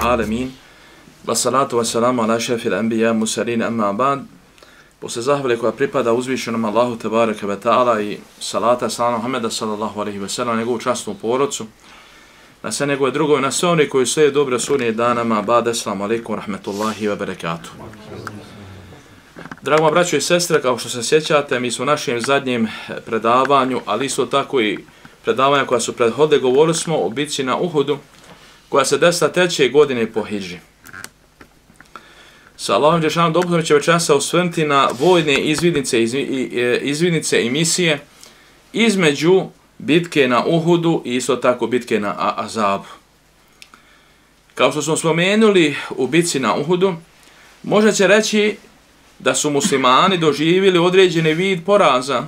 Alamin. Wassalatu wassalamu ala šefil anbiya musalin amma ba'd. Posle zahvale koja pripada uzvišenom Allahu tebareke ve ta'ala i salata salama Muhammeda sallallahu alaihi ve sellem, njegovu častnu porodcu, na sve njegove drugove, na sve oni koji slijede dobre sunije danama, ba'd, assalamu alaikum rahmetullahi wa barakatuh. Drago braćo i sestre, kao što se sjećate, mi smo u našem zadnjem predavanju, ali isto tako i predavanja koja su prethodile, govorili smo o bitci na Uhudu, koja se desila 3. godine po hidži. Sa Allahom Đešanom dopunom će večeras se osvrnuti na vojne izvidnice i misije između bitke na Uhudu i isto tako bitke na Azabu. Kao što smo spomenuli u bitci na Uhudu, možda će reći da su muslimani doživjeli određeni vid poraza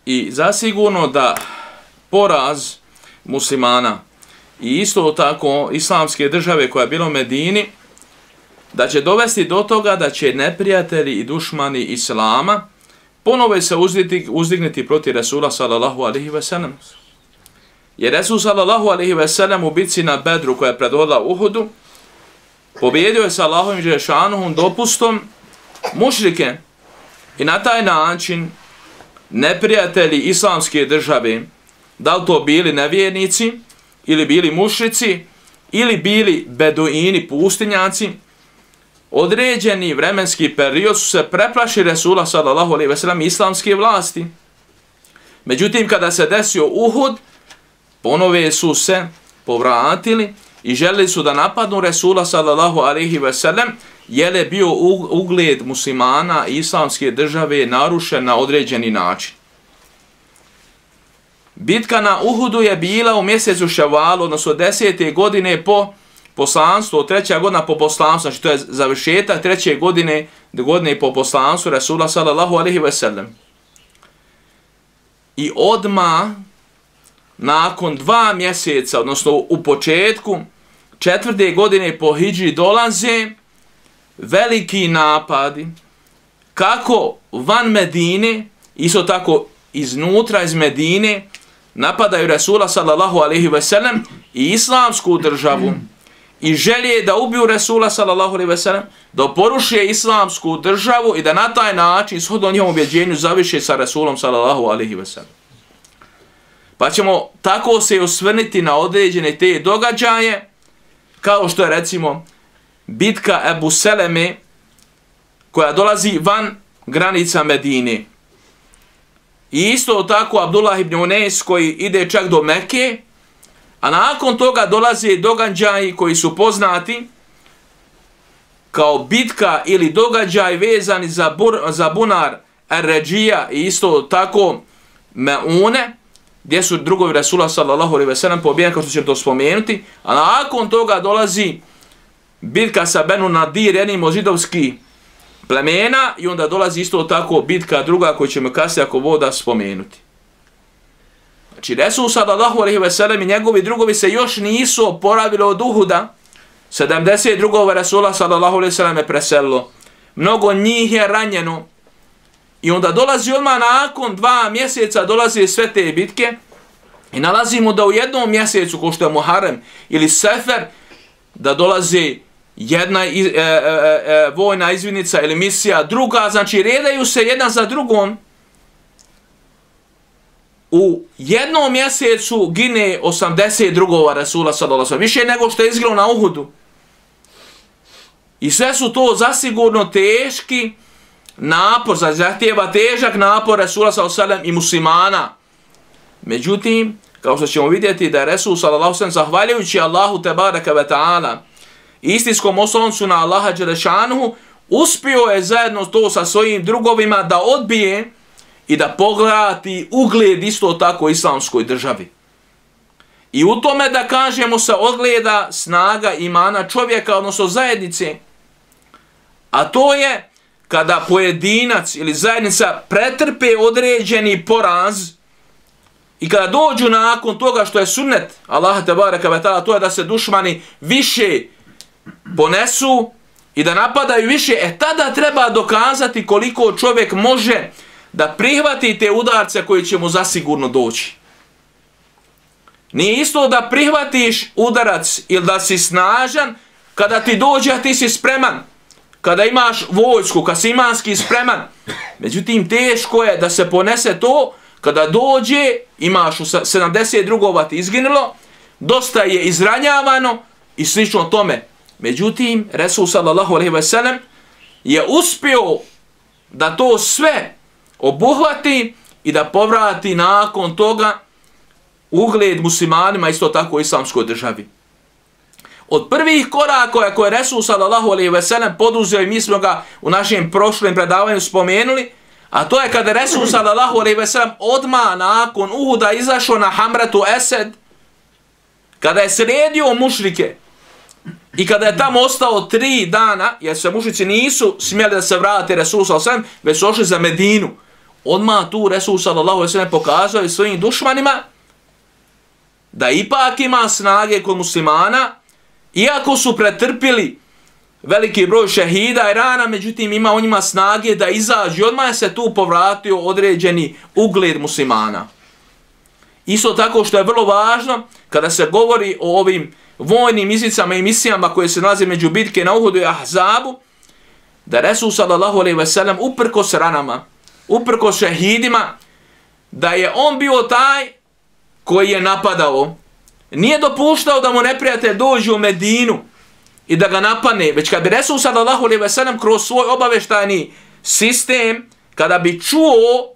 i zasigurno da poraz muslimana i isto tako islamske države koja je bila u Medini, da će dovesti do toga da će neprijatelji i dušmani islama ponovo se uzdignuti protiv Resula sallallahu alaihi ve sellem. Jer Resul sallallahu alaihi ve sellem u bitci na Bedru koja je predvodila Uhudu, pobjedio je sa Allahovim Đelešanuhum dopustom mušrike i na taj način neprijatelji islamske države, da li to bili nevjernici, ili bili mušrici, ili bili beduini, pustinjaci, određeni vremenski period su se preplašili Resula sallallahu alejhi ve sellem islamske vlasti. Međutim, kada se desio Uhud, ponove su se povratili i želeli su da napadnu Resula sallallahu alejhi ve sellem, jer je bio ugled muslimana i islamske države narušen na određeni način. Bitka na Uhudu je bila u mjesecu Ševalu, odnosno 10. godine po poslanstvu, 3. godina po poslanstvu, znači to je završetak 3. godine po poslanstvu Resula sallallahu alejhi ve sellem. I odmah, nakon 2 mjeseca, odnosno u početku 4. godine po hidži dolaze veliki napadi, kako van Medine, isto tako iznutra iz Medine, napadaju Resula sallallahu alejhi ve sellem i islamsku državu i želje da ubiju Resula sallallahu alejhi ve sellem, da poruše islamsku državu i da na taj način, shodno njihovom ubjeđenju, završe sa Resulom sallallahu alejhi ve sellem. Pa ćemo tako se osvrniti na određene te događaje, kao što je recimo bitka Ebu Seleme, koja dolazi van granica Medine. I isto tako Abdullah ibn Unes koji ide čak do Mekke, a nakon toga dolaze događaji koji su poznati kao bitka ili događaj vezani za bunar Ar-Ređija i isto tako Meune, gdje su drugovi Resula sallallahu alejhi ve sellem pobijeni, kao što ćemo to spomenuti, a nakon toga dolazi bitka sa Benu Nadir, jednim od židovskih plemena, i onda dolazi isto tako bitka druga koju ćemo kasnije ako voda spomenuti. Znači Resul sallallahu alejhi ve sellem i njegovi drugovi se još nisu oporavili od Uhuda. 70 drugova Resula sallallahu alejhi ve sellem je preselilo. Mnogo njih je ranjeno. I onda dolazi odmah nakon 2 mjeseca dolaze sve te bitke i nalazimo da u jednom mjesecu, ko što je Muharrem ili Sefer, da dolazi jedna vojna izvidnica ili misija, druga, znači redaju se jedna za drugom. U jednom mjesecu gine 80 drugova Resula sallallahu alejhi ve sellem, više nego što je izgilo na Uhudu. I sve su to zasigurno teški napor, zahtijeva težak napor Resula sallallahu alejhi ve sellem i muslimana. Međutim, kao što ćemo vidjeti da je Resul sallallahu alejhi ve sellem zahvaljujući Allahu tebareke ve taala istinskom osloncu na Allaha Đelešanuhu, uspio je zajedno to sa svojim drugovima da odbije i da poglati ugled isto tako islamskoj državi. i u tome da kažemo se ogleda snaga imana čovjeka, odnosno zajednice. A to je kada pojedinac ili zajednica pretrpe određeni poraz i kada dođu nakon toga što je sunnet Allaha tebareke ve taala, to je da se dušmani više ponesu i da napadaju više, tada treba dokazati koliko čovjek može da prihvati te udarce koji će mu zasigurno doći. Nije isto da prihvatiš udarac ili da si snažan kada ti dođe, a ti si spreman. Kada imaš vojsku, kad si imanski spreman. Međutim, teško je da se ponese to kada dođe, imaš 70 drugova ti izginulo, dosta je izranjavano i slično tome. Međutim, Resul sallallahu alejhi ve sellem je uspio da to sve obuhvati i da povrati nakon toga ugled muslimanima, isto tako islamskoj državi. Od prvih koraka koje je Resul sallallahu alejhi ve sellem poduzeo, i mi smo ga u našem prošlom predavanju spomenuli, a to je kada Resul sallallahu alejhi ve sellem odmah nakon Uhuda izašao na Hamratu Esed, kada je sredio mušrike i kada je tamo ostao 3 dana, jer se mušrici nisu smjeli da se vrate Resul sallallahu alejhi ve sellem, već su ošli za Medinu. Odmah tu Resul sallallahu alejhi ve sellem pokazao i svojim dušmanima da ipak ima snage kod muslimana, iako su pretrpili veliki broj šehida i rana, međutim ima on njima snage da izađe i odmah se tu povratio određeni ugled muslimana. Isto tako što je vrlo važno kada se govori o ovim vojnim iznicama i misijama koje se nalaze među bitke na Uhudu i Ahzabu, da Resul sallallahu alejhi ve sellem uprkos ranama, uprkos šehidima, da je on bio taj koji je napadao. Nije dopuštao da mu neprijatelj dođe u Medinu i da ga napadne, već kad bi Resul sallallahu alejhi ve sellem kroz svoj obaveštajni sistem, kada bi čuo,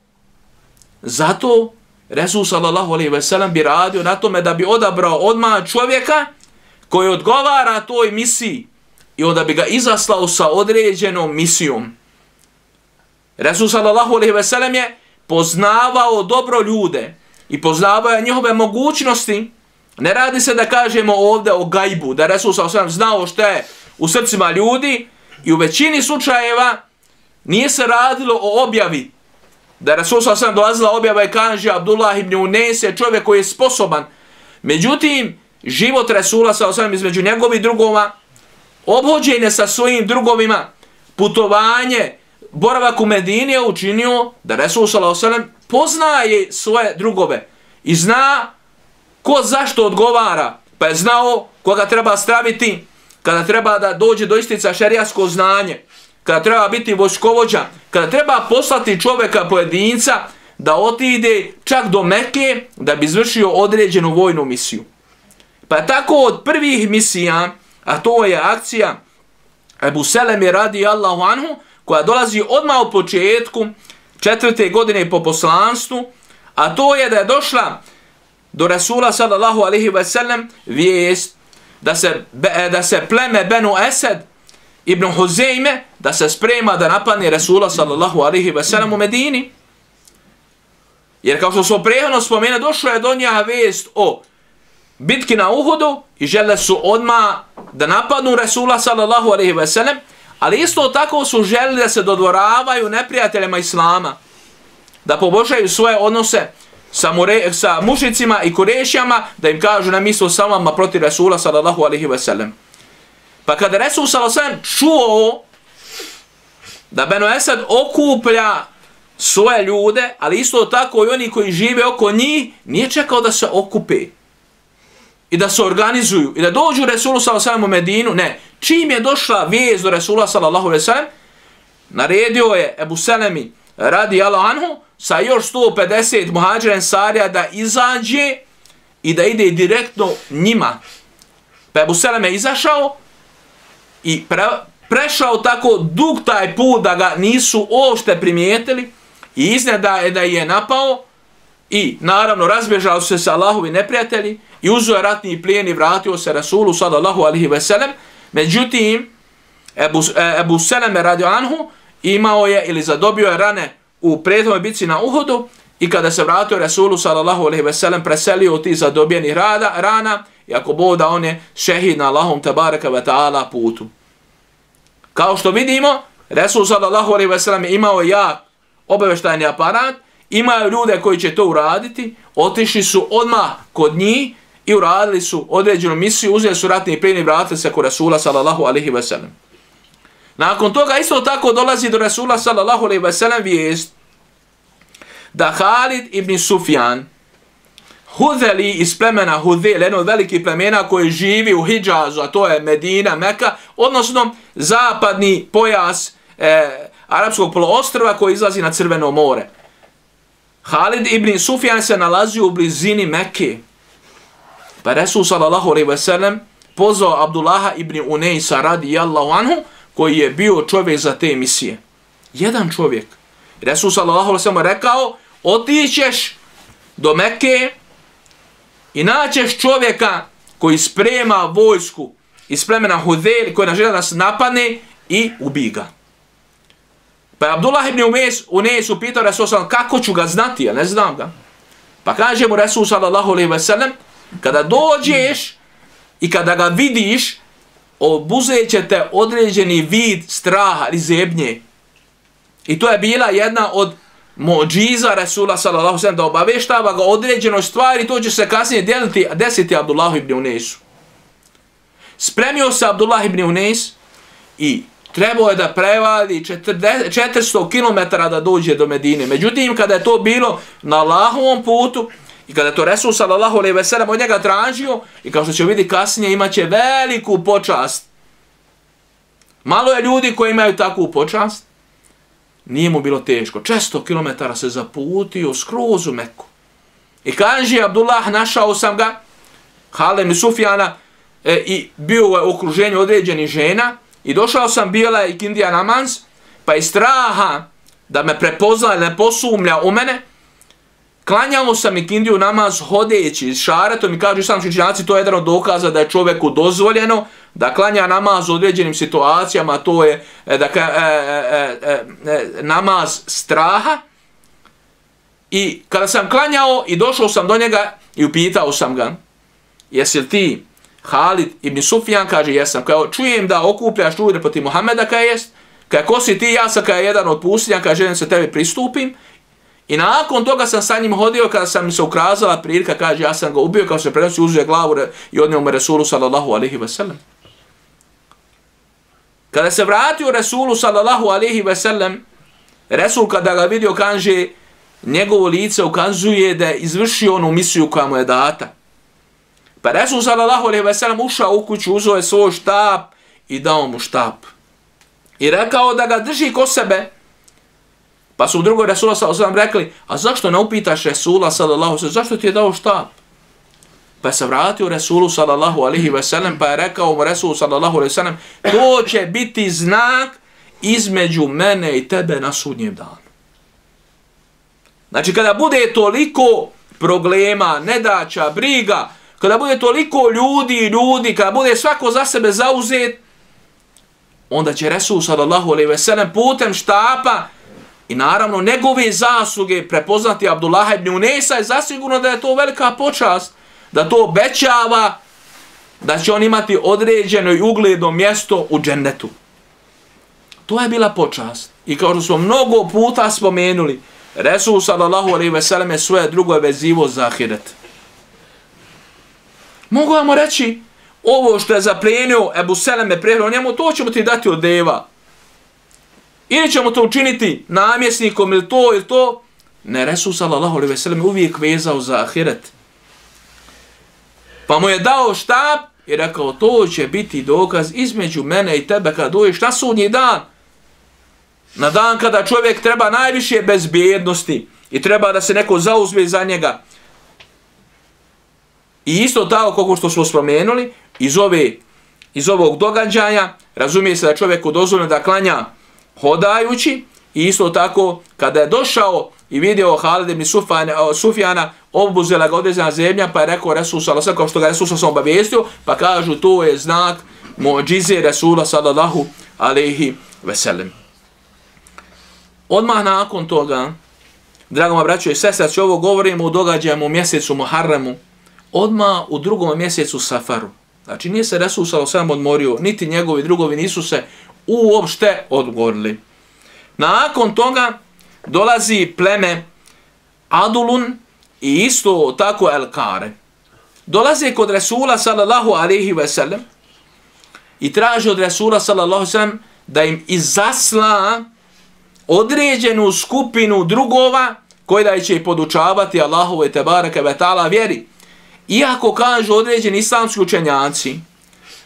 zato Resul sallallahu alejhi ve sellem bi radio na tome da bi odabrao odmah čovjeka koji odgovara toj misiji i onda bi ga izaslao sa određenom misijom. Resul sallallahu alejhi ve sellem je poznavao dobro ljude i poznavao je njihove mogućnosti. Ne radi se da kažemo ovdje o gajbu, da Resul sallallahu alejhi ve sellem znao što je u srcima ljudi, i u većini slučajeva nije se radilo o objavi. Da Resul sallallahu alejhi ve sellem dolazila objava i kaže Abdullah ibn Unes je čovjek koji je sposoban. Međutim, život Resula sallallahu alejhi ve sellem između njegovih drugova, obhođenje sa svojim drugovima, putovanje, boravak u Medini je učinio da Resul sallallahu alejhi ve sellem poznaje svoje drugove i zna ko zašto odgovara, pa je znao koga treba staviti kada treba da dođe do istica šerijasko znanje, kada treba biti vojskovođa, kada treba poslati čovjeka pojedinca da otide čak do Mekke da bi izvršio određenu vojnu misiju. Pa tako od prvih misija, a to je akcija Ebu Seleme radijallahu anhu, koja dolazi odmah u početku 4. godine po poslanstvu, a to je da je došla do Resula sallallahu alejhi ve sellem vijest da se pleme Benu Esed ibn Huzejme da se sprema da napadne Resula sallallahu alejhi ve sellem u Medini. Jer kao što smo prethodno spomenuli, došla je do njega vijest o bitki na Uhudu i žele su odmah da napadnu Resula sallallahu alejhi ve sellem, ali isto tako su želeli da se dodvoravaju neprijateljima Islama, da poboljšaju svoje odnose sa mušicima i Kurešijama, da im kažu na mislo sa vama protiv Resula sallallahu alejhi ve sellem. Pa kada Resul sallallahu alejhi ve sellem čuo da Benu Esed okuplja svoje ljude, ali isto tako i oni koji žive oko njih, nije čekao da se okupe i da se organizuju i da dođu Resulu sallallahu alejhi ve sellem u Medinu. Ne, čim je došla vijest do Resula sallallahu alejhi ve sellem, naredio je Ebu Selemi radijallahu anhu sa još 150 muhađira ensarija da izađe i da ide direktno njima. Pa Ebu Seleme izašao i prešao tako dug taj put da ga nisu uopšte primijetili i iznenada da je napao i naravno razbježao se sa Allahovi neprijatelji i uzeo je ratni plijen i vratio se Rasulu sallallahu alejhi ve sellem. Međutim, Ebu Seleme radijallahu anhu imao je ili zadobio je rane u prethodnoj bitci na Uhudu i kada se vratio Resulu sallallahu alejhi ve sellem preselio ti zadobijenih rana i ako Bog da on je šehid na Allahom tebareka ve ta'ala putu. Kao što vidimo, Resul sallallahu alejhi ve sellem imao jak obavještajni aparat, imaju ljude koji će to uraditi, otišli su odmah kod njih i uradili su određenu misiju, uzeli su ratni plijen i vratili se kod Resula sallallahu alejhi ve sellem. Nakon toga isto tako dolazi do Resula sallallahu alejhi ve sellem vijest da Halid ibn Sufjan, Hudheli iz plemena Hudhel, jedno od velikih plemena koji živi u Hidžazu, a to je Medina, Meka, odnosno zapadni pojas Arapskog poloostrva koji izlazi na Crveno more. Halid ibn Sufjan se nalazi u blizini Mekke. Pa Resul sallallahu alejhi ve sellem pozvao Abdullaha ibn Unejsa radijallahu anhu, koji je bio čovjek za te misije. Jedan čovjek. Resul sallallahu alejhi ve sellem rekao, otićeš do Mekke i naćeš čovjeka koji sprema vojsku iz plemena Hudhel, koji želi da nas napadne i ubij ga. Pa je Abdullah ibn Unejs upitao Resul sallallahu kako ću ga znati, ja ne znam ga. Pa kaže mu Resul sallallahu alejhi ve sellem, kada dođeš i kada ga vidiš, obuzet će te određeni vid straha ili zebnje. I to je bila jedna od muđiza Resula sallallahu alejhi ve sellem da obaveštava ga određenoj stvari, to će se kasnije desiti Abdullahu ibn Unejsu. Spremio se Abdullah ibn Unejs i trebao je da prevali 400 km da dođe do Medine. Međutim, kada je to bilo na Allahovom putu i kada je to Resul sallallahu alejhi ve sellem od njega tražio, i kao što će vidjeti kasnije, imaće veliku počast. Malo je ljudi koji imaju takvu počast. Nije mu bilo teško. 400 km se zaputio skroz u Meku. I kaže Abdullah, našao sam ga, Halid ibn Sufjana, i bio u okruženju određenih žena, i došao sam, bila je ikindija namaz, pa iz straha da me prepozna, ne posumlja u mene, klanjao sam ikindiju namaz hodeći s šaretom i kažu sam učenjaci, to je jedan od dokaza da je čovjeku dozvoljeno da klanja namaz u određenim situacijama, to je namaz straha. I kada sam klanjao i došao sam do njega i upitao sam ga, jesi li ti Halid ibn Sufjan? Kaže, jesam. Kao, čujem da okupljaš ljude protiv Muhameda, kaj jest. Kaj, ko si ti? Ja sam kaj jedan od pustinja, kaj želim se tebi pristupim. I nakon toga sam sa njim hodio, kada sam mi se ukazala prilika, kaže, ja sam ga ubio, kao se prenosi, uzuje glavu i odnio mu Resulu sallallahu alejhi ve sellem. Kada se vratio Resulu sallallahu alejhi ve sellem, Resul kada ga vidio, kaže, njegovo lice ukazuje da je izvršio onu misiju koja mu je data. Pa Resul sallallahu alejhi ve sellem ušao u kuću, uzeo je svoj štap i dao mu štap. I rekao da ga drži kod sebe. Pa su u drugoj Resula sallallahu alejhi ve sellem rekli, a zašto ne upitaš Resula sallallahu alejhi ve sellem, zašto ti je dao štap? Pa se vratio Resulu sallallahu alejhi ve sellem, pa je rekao mu Resul sallallahu alejhi ve sellem, to će biti znak između mene i tebe na sudnjem danu. Znači kada bude toliko problema, nedaća, briga, kada bude toliko ljudi, kada bude svako za sebe zauzet, onda će Resul sallallahu alejhi ve sellem putem štapa i naravno njegove zasluge prepoznati Abdullah ibn Unejsa, i zasigurno da je to velika počast, da to obećava da će on imati određeno i ugledno mjesto u džennetu. To je bila počast. I kao što smo mnogo puta spomenuli, Resul sallallahu alejhi ve sellem je svoje drugo vezivo za ahiret. Mogu vam reći, ovo što je zaplijenio Ebu Seleme prehranio njemu, to ćemo ti dati od deva. Ili ćemo to učiniti namjesnikom ili to. Ne, Resul sallallahu alejhi ve sellem uvijek vezao za ahiret. Pa mu je dao štap i rekao, to će biti dokaz između mene i tebe kada dođeš na sudnji dan. Na dan kada čovjek treba najviše bezbjednosti i treba da se neko zauzme za njega. I isto tako, kako što smo spomenuli, iz ovog događaja, razumije se da čovjeku dozvoljeno da klanja hodajući, i isto tako, kada je došao i vidio Halid ibn Sufjana, obuzela ga određena zemlja, pa je rekao Resul sallallahu alejhi ve sellem, kao što ga Resul sallallahu alejhi ve sellem obavijestio, pa kažu to je znak muđize Resula sallallahu alejhi ve sellem. Odmah nakon toga, Drago moja braćo i sestre, znači ovo govorimo u događajima u mjesecu Muharremu, odmah u drugom mjesecu Safaru. Znači nije se Resul sallallahu alejhi ve sellem odmorio, niti njegovi drugovi nisu se uopšte odgorili. Nakon toga dolazi pleme Adulun i isto tako El-Kare. Dolaze kod Resula sallallahu alejhi ve sellem i traže od Resula sallallahu alejhi ve sellem da im izasla određenu skupinu drugova koji da će podučavati Allahove tebareke ve ta'ala vjeri. Iako kažu određeni islamski učenjaci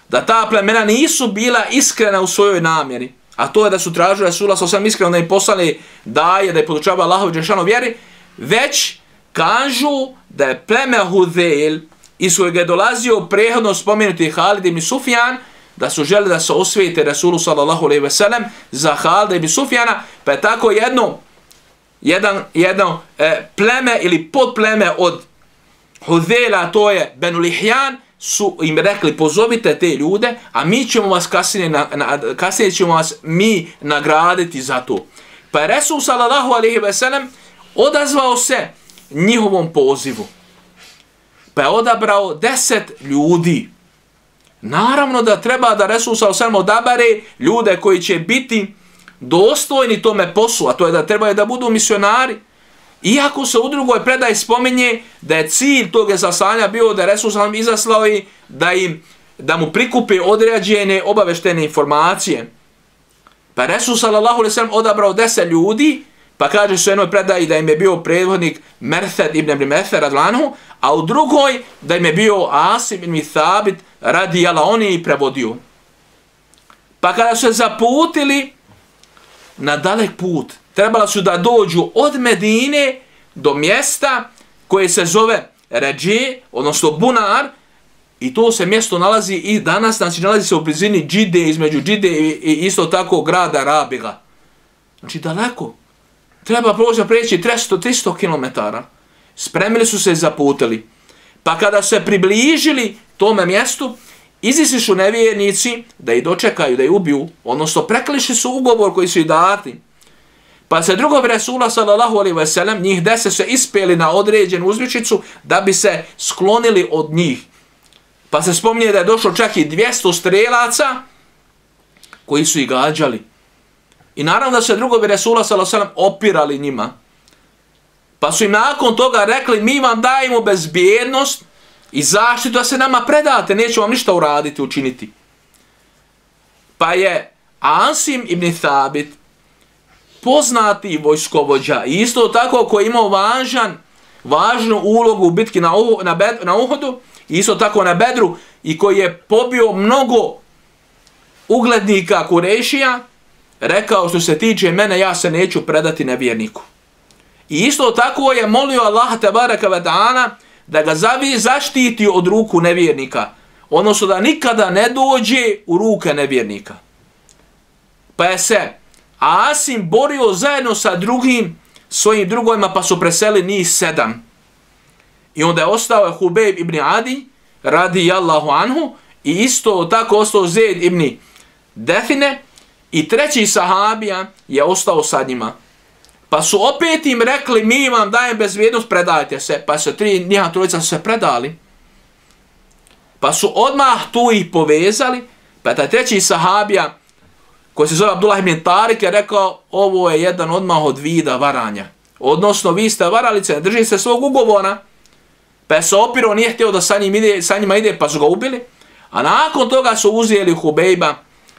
da ta plemena nisu bila iskrena u svojoj namjeri, a to je da su tražili Resula sallallahu alejhi ve sellem iskreno da im poslali daje, da je podučava Allahove dželešanu vjeri, već kažu da je pleme Hudejl iz kojeg je dolazio prethodno spomenuti Halid ibn Sufjan, da su želi da se osvijete Resulu sallallahu alejhi ve sellem za Halida ibn Sufjana, pa je tako jedno pleme ili podpleme od Hudejla, to je Benu Lihjan, su im rekli pozovite te ljude, a mi ćemo vas kasnije ćemo vas mi nagraditi za to. Pa je Resul sallallahu alejhi ve sellem odazvao se njihovom pozivu. Pa je odabrao 10 ljudi. Naravno da treba da Resul sallallahu alejhi ve sellem odabere ljude koji će biti dostojni tome poslu, a to je da trebaju da budu misionari. Iako se u drugoj predaji spominje da je cilj tog izaslanja bio da Resul sallallahu alejhi ve sellem izaslao da mu prikupe određene obaveštene informacije. Pa Resul sallallahu alejhi ve sellem odabrao 10 ljudi, pa kaže se u jednoj predaji da im je bio predvodnik Merthed ibn Abi Merthed radlanhu, a u drugoj da im je bio Asim ibn Thabit radijallahu anhu i prevodio. Pa kada su se zaputili na dalek put, trebali su da dođu od Medine do mjesta koje se zove Ređe, odnosno Bunar, i to se mjesto nalazi i danas, znači nalazi se u blizini Džide, između Džide i isto tako grada Rabiga. Znači daleko. Treba preći 300 km. Spremili su se i zaputili. Pa kada su se približili tome mjestu, izišli su nevjernici da ih dočekaju, da ih ubiju, odnosno preklišli su ugovor koji su ih dati. Pa se drugovi Resula sallallahu alejhi ve sellem, njih 10 se ispeli na određenu uzvičicu da bi se sklonili od njih. Pa se spominje da je došlo čak i 200 strelaca koji su ih gađali. I naravno da se drugovi Resula sallallahu alejhi ve sellem opirali njima. Pa su im nakon toga rekli, mi vam dajemo bezbjednost i zaštitu da se nama predate, nećemo vam ništa uraditi, učiniti. Pa je Asim ibn Thabit, poznati vojskovođa, i isto tako koji je imao važnu ulogu u bitki na Uhudu, i isto tako na Bedru, i koji je pobio mnogo uglednika Kurešija, rekao što se tiče mene, ja se neću predati nevjerniku. I isto tako je molio Allaha tebareke ve ta'ala da ga zaštiti od ruku nevjernika, odnosno da nikada ne dođe u ruke nevjernika. Pa je se Asim borio zajedno sa drugim svojim drugovima, pa su preseli njih 7. I onda je ostao Hubejb ibn Adi radijallahu anhu, i isto tako ostao Zaid ibn Define, i treći sahabija je ostao sa njima. Pa su opet im rekli, mi vam dajem bezvjednost, predajte se. Pa su njiha trojica se predali. Pa su odmah tu ih povezali, pa taj treći sahabija, koji se zove Abdullah ibn Tarik, je rekao, ovo je jedan odmah od vida varanja. Odnosno, vi ste varalice, ne držite se svog ugovora. Pa je se opirao, nije htio da sa njima ide, pa su ga ubili. A nakon toga su uzeli Hubejba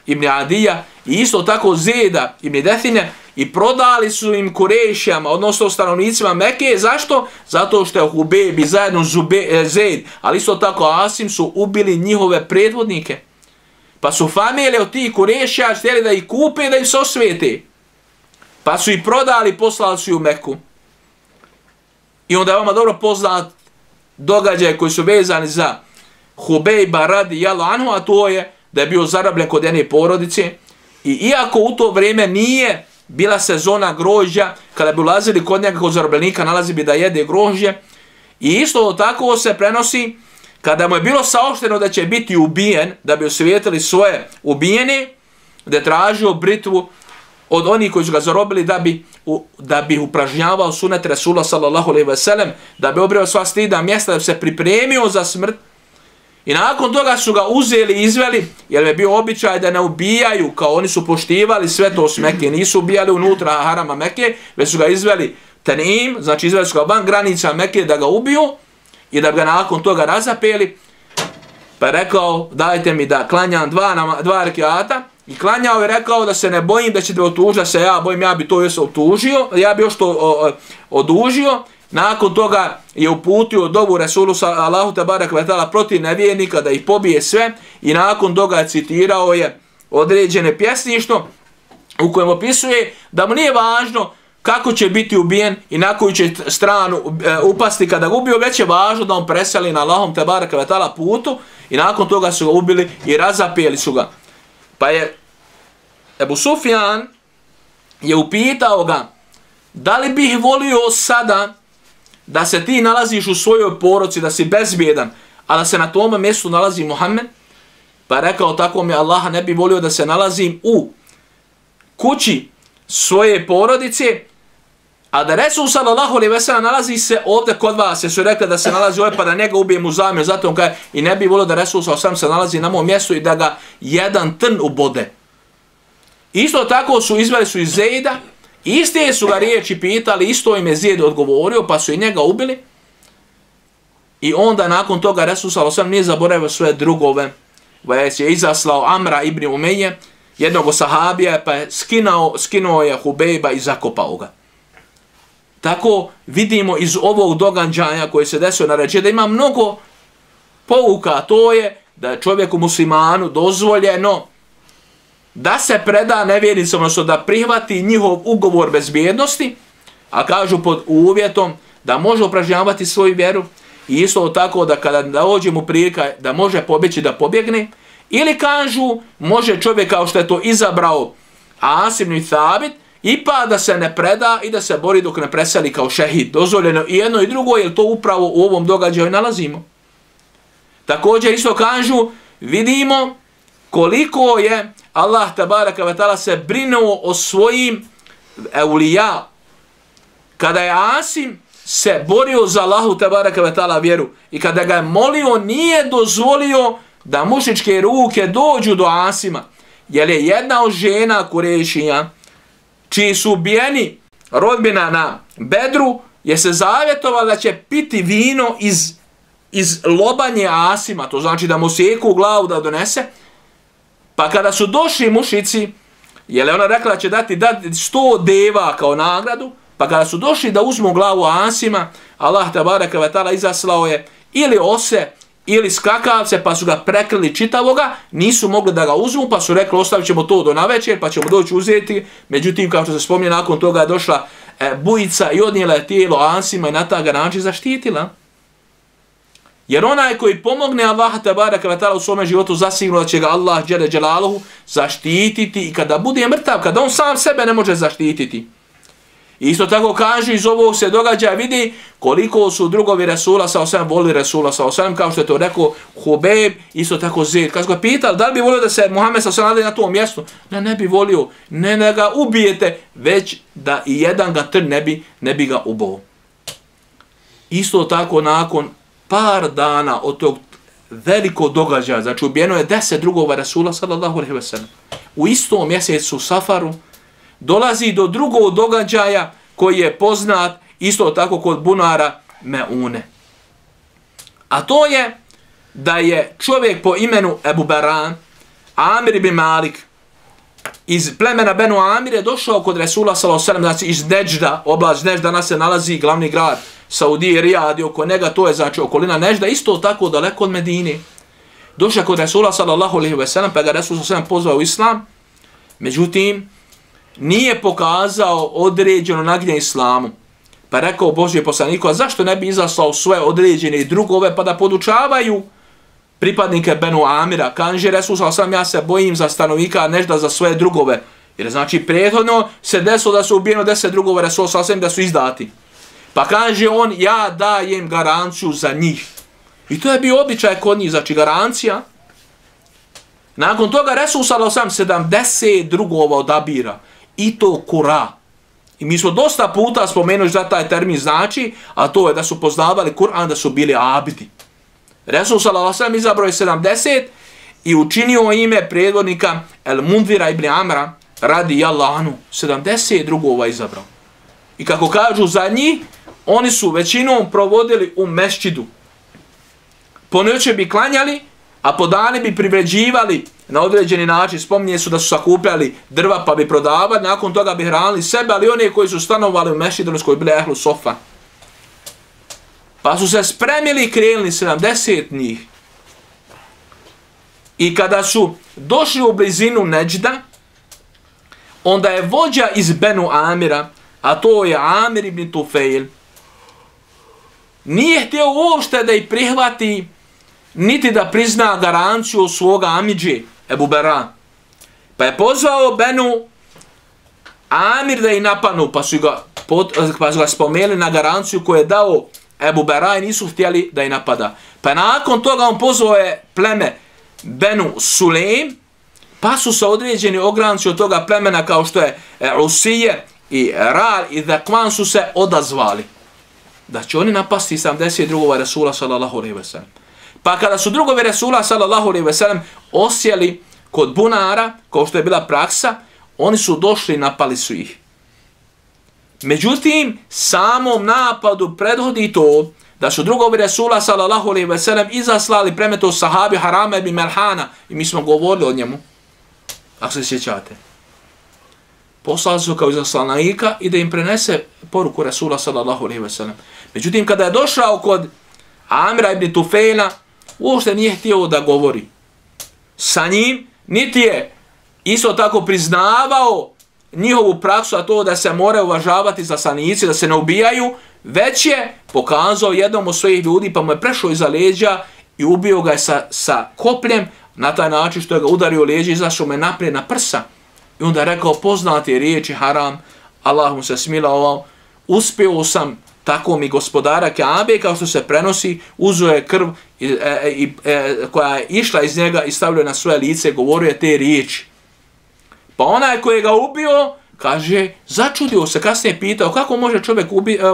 ibn Adija i isto tako Zeda ibn Define i prodali su im Kurešijama, odnosno stanovnicima Mekke. Zašto? Zato što je Hubejb i zajedno Zed, ali isto tako Asim su ubili njihove predvodnike. Pa su familije od tih Kurešija htjeli da ih kupe, da ih se osvijete. Pa su ih prodali, poslali su ih u Meku. I onda je vama dobro poznat događaj koji su vezani za Hubejba radijallahu anhu, a to je da je bio zarobljen kod jedne porodice. I iako u to vrijeme nije bila sezona grožđa, kada bi ulazili kod njega kod zarobljenika, nalazi bi da jede grožđe. I isto tako se prenosi, kada mu je bilo saopšteno da će biti ubijen, da bi osvijetili svoje ubijene, da je tražio britvu od onih koji su ga zarobili da bi upražnjavao sunet Resula sallallahu alejhi ve sellem, da bi obrio sva stida mjesta, da bi se pripremio za smrt. I nakon toga su ga uzeli i izveli, jer je bio običaj da ne ubijaju, kao oni su poštivali sve to s Mekke, nisu ubijali unutra harama Mekke, već su ga izveli Tanim, znači izveli su ga van granica Mekke da ga ubiju i da bi ga nakon toga razapeli. Pa je rekao, dajte mi da klanjam dva rekiata. I klanjao je, rekao da se ne bojim da ćete otužiti, da se ja bojim, ja bi to još otužio, ja bi još to odužio. Nakon toga je uputio dovu Resulu Allahu tebareke ve taala protiv nevjernika da ih pobije sve i nakon toga citirao je određene pjesništvo u kojem opisuje da mu nije važno kako će biti ubijen i na koju će stranu upasti kada ga ubio, već je važno da on preseli na Allahom tebareke ve taala putu i nakon toga su ga ubili i razapeli su ga. Pa je Ebu Sufjan je upitao ga, da li bih volio sada da se ti nalaziš u svojoj porodici, da si bezbjedan, a da se na tome mjestu nalazi Muhammed? Pa je rekao, tako mi Allaha ne bi volio da se nalazim u kući svoje porodice, a da Resul sallallahu alejhi ve sellem nalazi se ovdje kod vas, jer su rekli da se nalazi ovdje pa da njega ubijem u zamjer, zato on kaže, i ne bi volio da Resul sallallahu alejhi ve sellem se nalazi na mom mjestu i da ga jedan trn ubode. Isto tako su izveli su iz Zejda, iste su ga riječi pitali, isto im je Zijed odgovorio, pa su i njega ubili. I onda nakon toga Resul sallallahu alejhi ve sellem nije zaboravio svoje drugove, već je izaslao Amra ibn Umeje, jednog sahabija, pa je skinuo je Hubejba i zakopao ga. Tako vidimo iz ovog događaja koje se desio na ređe da ima mnogo pouka, to je da je čovjeku muslimanu dozvoljeno da se preda nevjernicom, odnosno da prihvati njihov ugovor bezbjednosti, a kažu pod uvjetom da može upražnjavati svoju vjeru i isto tako da kada dođe mu prilika da može pobjeći da pobjegne, ili kažu može čovjek kao što je to izabrao Asim ibn Thabit, ipak da se ne preda i da se bori dok ne preseli kao šehid. Dozvoljeno i jedno i drugo, jer to upravo u ovom događaju nalazimo. Također isto kažu, vidimo koliko je Allah tabaraka ve taala se brinuo o svojim eulija. Kada je Asim se borio za Allahu tabaraka ve taala vjeru i kada ga je molio, nije dozvolio da mušičke ruke dođu do Asima, jer je jedna od žena Kurešija čiji su ubijeni rodbina na Bedru, je se zavjetovala da će piti vino iz lobanje Asima, to znači da mu sjeku u glavu da donese. Pa kada su došli mušici, jer je ona rekla da će dati 100 deva kao nagradu, pa kada su došli da uzmu glavu Asima, Allah tabaraka ve taala izaslao je ili ose ili skakavce, pa su ga prekrili čitavoga, nisu mogli da ga uzmu, pa su rekli ostavit ćemo to do navečer, pa ćemo doći uzeti. Međutim, kao što se spominje, nakon toga je došla bujica i odnijela je tijelo Asima i na taj način zaštitila. Jer onaj koji pomogne Allaha tabaraka ve taala u svome životu, zasigurno da će ga Allah dželle dželaluhu zaštititi i kada bude mrtav, kada on sam sebe ne može zaštititi. Isto tako kažu, iz ovog se događa, vidi koliko su drugovi Resula sallallahu alejhi ve sellem volili Resula sallallahu alejhi ve sellem, kao što je to rekao Hubejb, isto tako Zeid. Kad su ga pitali da li bi volio da se Muhammed sallallahu alejhi ve sellem na tom mjestu, ne bi volio, ne da ga ubijete, već da i jedan ga trn ne bi ga ubao. Isto tako nakon par dana od tog velikog događaja, znači ubijeno je 10 drugova Resula sallallahu alejhi ve sellem. U istom mjesecu Safaru dolazi do drugog događaja koji je poznat isto tako kod bunara Meune. A to je da je čovjek po imenu Ebu Baran, Amir ibn Malik, iz plemena Benu Amire došao kod Resula sallallahu alejhi ve sellem, znači iz Nežda, oblast Nežda, danas se nalazi glavni grad Saudije, Rijad i oko njega, to je znači okolina Nežda, isto tako daleko od Medine. Došao kod Resula sallallahu alejhi ve sellem, pa ga Resul sallallahu alejhi ve sellem pozvao u islam, međutim nije pokazao određeno naginje islamu. Pa rekao Božji poslaniku, a zašto ne bi izaslao svoje određene drugove pa da podučavaju pripadnike Benu Amira? Kaže Resul sallallahu alejhi ve sellem, ja se bojim za stanovnika Nežda, za svoje drugove. Jer znači prethodno se desilo da su ubijeno 10 drugova Resul sallallahu alejhi ve sellem, da su izdati. Pa kaže on, ja dajem garanciju za njih. I to je bio običaj kod njih, znači garancija. Nakon toga Resul sallallahu alejhi ve sellem 70 drugova odabira. i to kura. I mi smo dosta puta spomenuli šta taj termin znači, a to je da su poznavali Kur'an, da su bili abidi. Resul sallallahu alejhi ve sellem izabrao je 70 i učinio ime predvodnika El Mundira ibn Amra radijallahu anhu. 70 drugova izabrao. I kako kažu za njih, oni su većinom provodili u mešćidu. Po noći bi klanjali, a po dani bi privređivali na određeni način. Spominje su da su sakupljali drva pa bi prodavali, nakon toga bi hranili sebe, ali one koji su stanovali u mešćidu, koji bili ehlu sofa. Pa su se spremili i krenuli 70 njih. I kada su došli u blizinu Neđda, onda je vođa iz Benu Amira, a to je Amir ibn Tufail, nije htio uopšte da ih prihvati, niti da prizna garanciju svoga amidže, Ebu Bera. Pa je pozvao Benu Amir da ih napadnu, pa su ga spomenuli na garanciju koju je dao Ebu Bera i nisu htjeli da ih napada. Pa nakon toga on pozvao je pleme Benu Sulejm, pa su se određeni ogranci od toga plemena kao što je Usije i Ral i Zakvan su se odazvali da će oni napasti 70 drugova Resula sallallahu alejhi ve sellem. Pa kada su drugovi Resula sallallahu alejhi ve sellem osjeli kod bunara, kao što je bila praksa, oni su došli i napali su ih. Međutim, samom napadu prethodi to da su drugovi Resula sallallahu alejhi ve sellem izaslali premeto sahabi Harama ibn Melhana, i mi smo govorili o njemu, ako se sjećate. Poslali su kao izaslanika i da im prenese poruku Resula sallallahu alejhi ve sellem. Međutim, kada je došao kod Amira ibn Tufaila, uopšte nije htio da govori sa njim, niti je isto tako priznavao njihovu praksu, a to da se moraju uvažavati izaslanici, da se ne ubijaju, već je pokazao jednom od svojih ljudi, pa mu je prešao iza leđa i ubio ga je sa kopljem, na taj način što je ga udario u leđe, izašao me naprijed na prsa. I onda je rekao poznate riječi haram, Allah mu se smilovao, uspio sam tako mi gospodara Kaabe, kao što se prenosi, uzeo je krv koja je išla iz njega i stavljao na svoje lice, govorio je te riječi. Pa onaj koji ga ubio, kaže, začudio se, kasnije pitao, kako može čovjek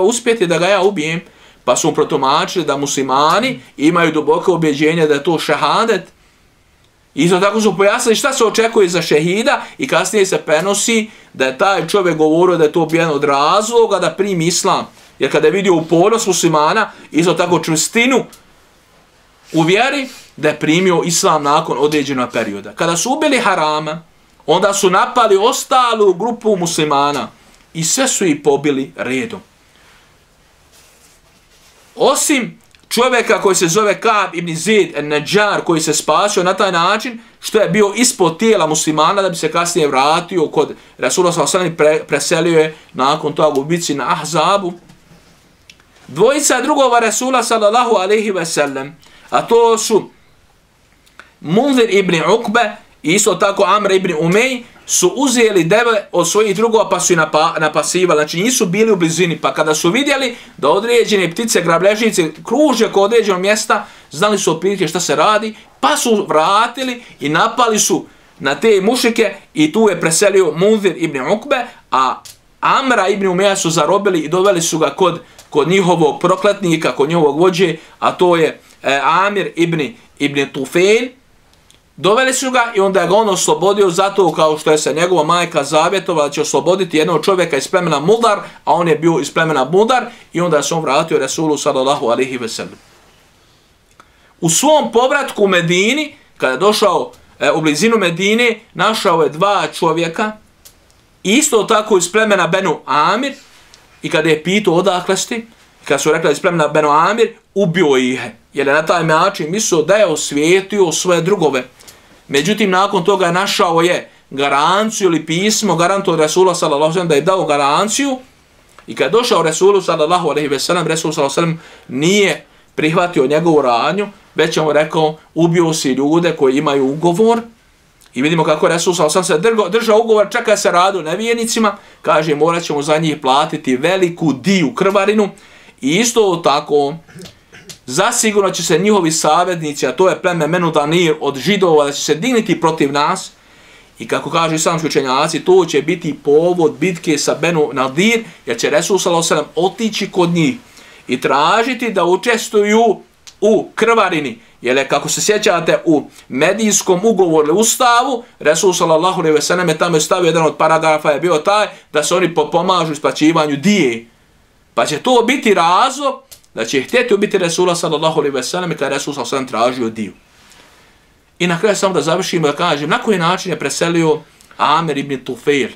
uspjeti da ga ja ubijem? Pa su mu protumačili da muslimani imaju duboko objeđenje da je to šehadet. Isto tako su pojasnili šta se očekuje za šehida i kasnije se prenosi da je taj čovjek govorio da je to jedan od razloga da primi islam. Jer kada je vidio upornost muslimana, isto tako čvrstinu u vjeri, da je primio islam nakon određenog perioda. Kada su ubili Harama, onda su napali ostalu grupu muslimana i sve su ih pobili redom. Osim čovjeka koji se zove Ka'b ibn Zaid el-Najjar, koji se spasio na taj način što je bio ispod tijela muslimana da bi se kasnije vratio kod Resula sallallahu alejhi ve sellem, preselio je nakon toga u bici na Ahzabu. Dvojica drugova Resula sallallahu alejhi ve sellem, a to su Munzir ibn Ukbe i isto tako Amr ibn Umej, su uzeli deve od svojih drugova pa su ih napasivali. Znači nisu bili u blizini. Pa kada su vidjeli da određene ptice, grabležnice kruže kod određenog mjesta, znali su otprilike šta se radi, pa su vratili i napali su na te mušike i tu je preselio Munzir ibn Ukbe, a Amra ibn Umeja su zarobili i doveli su ga kod njihovog prokletnika, kod njihovog vođe, a to je Amir ibn Tufail. Doveli su ga i onda je ga on oslobodio zato kao što je se njegova majka zavjetovala da će osloboditi jednog čovjeka iz plemena Mudar, a on je bio iz plemena Mudar i onda se on vratio Resulu sallallahu alejhi ve sellem. U svom povratku u Medini, kada je došao u blizinu Medine, našao je dva čovjeka, isto tako iz plemena Benu Amir, i kada je pitao odakle ste, kada su rekli iz plemena Benu Amir, ubio ih, jer je na taj način mislio da je osvijetio svoje drugove. Međutim, nakon toga je našao je garanciju ili pismo, garantu od Resula sallallahu alejhi ve sellem da je dao garanciju, i kada je došao Resulu sallallahu alejhi ve sellem, Resul sallallahu alejhi ve sellem nije prihvatio njegovu radnju, već je mu rekao, ubio si ljude koji imaju ugovor, i vidimo kako je Resul sallallahu alejhi ve sellem se držao ugovor, čeka se radu nevjernicima, kaže morat ćemo za njih platiti veliku diju, krvarinu, i isto tako zasigurno će se njihovi savjetnici, a to je pleme Menu Danir od židova, da će se digniti protiv nas I kako kažu islamski učenjaci, to će biti povod bitke sa Benu Nadir, jer će Resul sallallahu alejhi ve sellem otići kod njih i tražiti da učestvuju u krvarini. Jer je, kako se sjećate, u medijskom ugovoru ustavu, Resul sallallahu alejhi ve sellem je tamo stavio jedan od paragrafa je bio taj da se oni pomažu isplaćivanju dije. Pa će to biti razlog da će htjeti ubiti Resula sallallahu alejhi ve sellem kada je Resul sallallahu alejhi ve sellem tražio diju. I na kraju samo da završimo da kažem na koji način je preselio Amir ibn Tufail.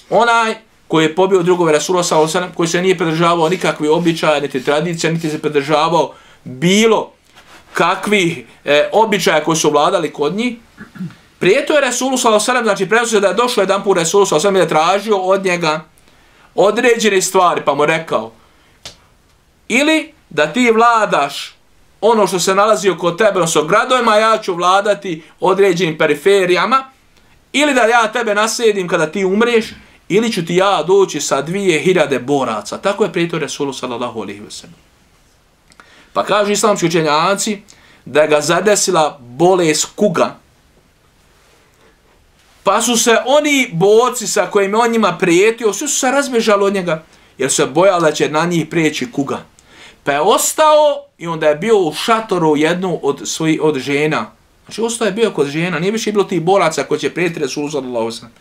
Onaj koji je pobio drugove Resula sallallahu alejhi ve sellem, koji se nije pridržavao nikakvi običaja, niti tradicija, niti se pridržavao bilo kakvih običaja koji su vladali kod njih. Prijetio je Resulu sallallahu alejhi ve sellem, znači prenosio da je došao jedan put Resulu sallallahu alejhi ve sellem i je tražio od njega određene stvari, pa mu rekao ili da ti vladaš ono što se nalazi oko tebe, odnosno gradovima, ja ću vladati određenim periferijama, ili da ja tebe naslijedim kada ti umreš, ili ću ti ja doći sa 2000 boraca. Tako je prijetio Resulu sallallahu alejhi ve sellem. Pa kažu islamski učenjaci da ga zadesila bolest kuga. Pa su se oni borci sa kojima on njima prijetio, svi su se razbježali od njega, jer su se bojali da će na njih prijeći kuga. Pa je ostao i onda je bio u šatoru jednu od žena. Znači ostao je bio kod žena, nije više bilo tih boraca koji će prijeti Resulu sallallahu alejhi ve sellem.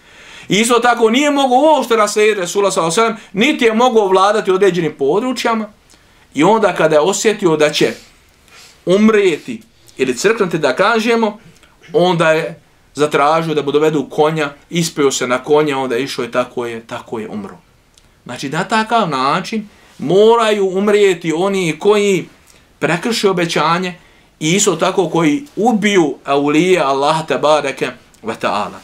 I isto tako nije mogao uopšte naslijediti Resula sallallahu alejhi ve sellem, niti je mogao vladati određenim područjama. I onda kada je osjetio da će umrijeti ili crknuti da kažemo, onda je zatražio da mu dovedu konja, ispio se na konja, onda je išao i tako je umro. Znači na takav način moraju umrijeti oni koji prekrše obećanje i isto tako koji ubiju aulije Allaha tebareke ve ta'ala.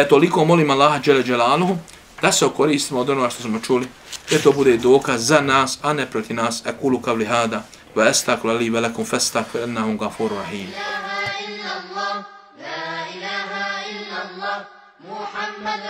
Toliko molim Allaha dželle dželaluhu da se okoristimo od onoga što smo čuli, da to bude dokaz za nas, a ne protiv nas. Aqulu qavli hada wa astaghfiru li wa lakum fastaghfiru innahu ghafurur rahim. محمد